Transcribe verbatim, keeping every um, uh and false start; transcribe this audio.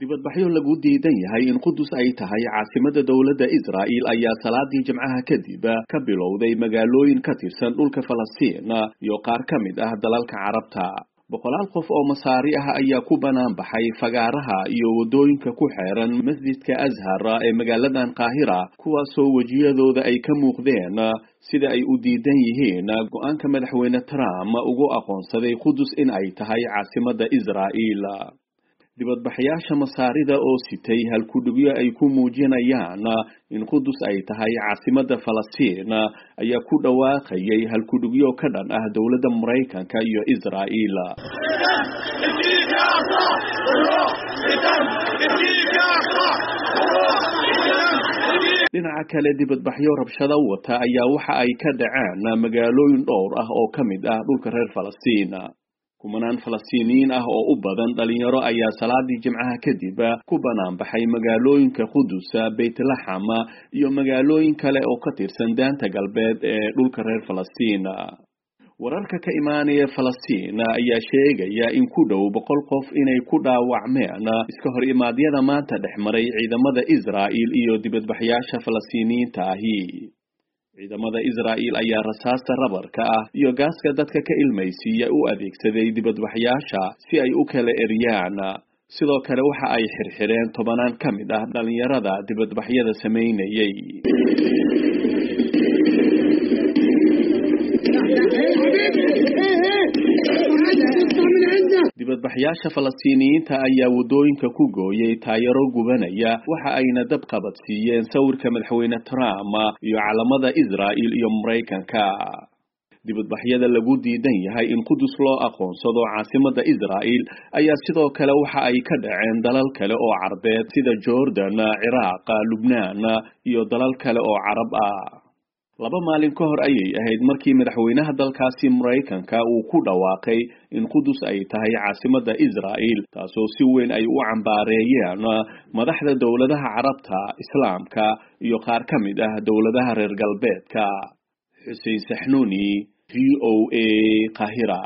Dibadbaxyo lagu diidan yahay in Qudus ay tahay caasimadda dowladda Israa'iil ayaa salaadii Jimcaha kadib ka bilowday magaalooyin ka tirsan dhulka Falastiin iyo qaar ka mid ah dalalka Carabta. Boqolaal qof oo Masaari ah ayaa ku banaan baxay fagaaraha iyo waddooyinka ku xeeran masjidka Azhar ee magaaladan Qaahira, kuwaasoo wejiyadooda ay ka muuqdeen sida ay u diidan yihiin go'aanka madaxweyne Trump ugu aqoonsaday Qudus in ay tahay caasimadda Israa'iil. Dibadbaxayaasha Masaarida oo sitay halkudhigyo ay ku muujinayaan in Qudus ay tahay caasimadda Falastiin ayaa ku dhawaaqayay halkudhigyo ka dhan ah dowladda Maraykanka iyo Israa'iil. Dhinaca kale, dibadbaxyo rabshado wata ayaa waxa ay ka dhaceen magaalooyin dhowr ah oo ka mid ah dhulka reer Falastiin. Kumanaan Falastiiniyiin ah oo u badan dhalinyaro ayaa salaadii Jimcaha kadib ku banaan baxay magaalooyinka Qudus, Beytlaxam iyo magaalooyin kale oo ka tirsan daanta galbeed ee dhulka reer Falastiin. Wararka ka imaanaya Falastiin ayaa sheegaya in ku dhow boqol qof inay ku dhaawacmeen iska hor imaadyada maanta dhex maray ciidamada Israa'iil iyo dibadbaxayaasha Falastiiniyiinta ahi. Ciidamada Israa'iil ayaa rasaasta rabarka ah iyo gaaska dadka ka ilmaysiiya u adeegsaday dibadbaxayaasha si ay u kala eryaan. Sidoo kale waxa ay xirxireen tobanaan ka mid ah dhalinyarada dibadbaxyada samaynayay. Dibadbaxayaasha Falastiiniyiinta ayaa waddooyinka ku gooyay taayaro gubanaya, waxa ayna dab qabadsiiyeen sawirka madaxweyne Trump iyo calamada Israa'iil iyo Maraykanka. Dibadbaxyada lagu diidan yahay in Qudus loo aqoonsado caasimadda Israa'iil ayaa sidoo kale waxa ay ka dhaceen dalal kale oo Carbeed sida Jordan, Ciraaq, Lubnaan iyo dalal kale oo Carab ah. Laba maalin ka hor ayay ahayd markii madaxweynaha dalkaasi Maraykanka uu ku dhawaaqay in Qudus ay tahay caasimadda Israa'iil, taasoo si weyn ay u cambaareeyeen madaxda dowladaha Carabta, Islaamka iyo qaar ka mid ah dowladaha reer galbeedka. Xuseen Saxnuuni, V O A, Qaahira.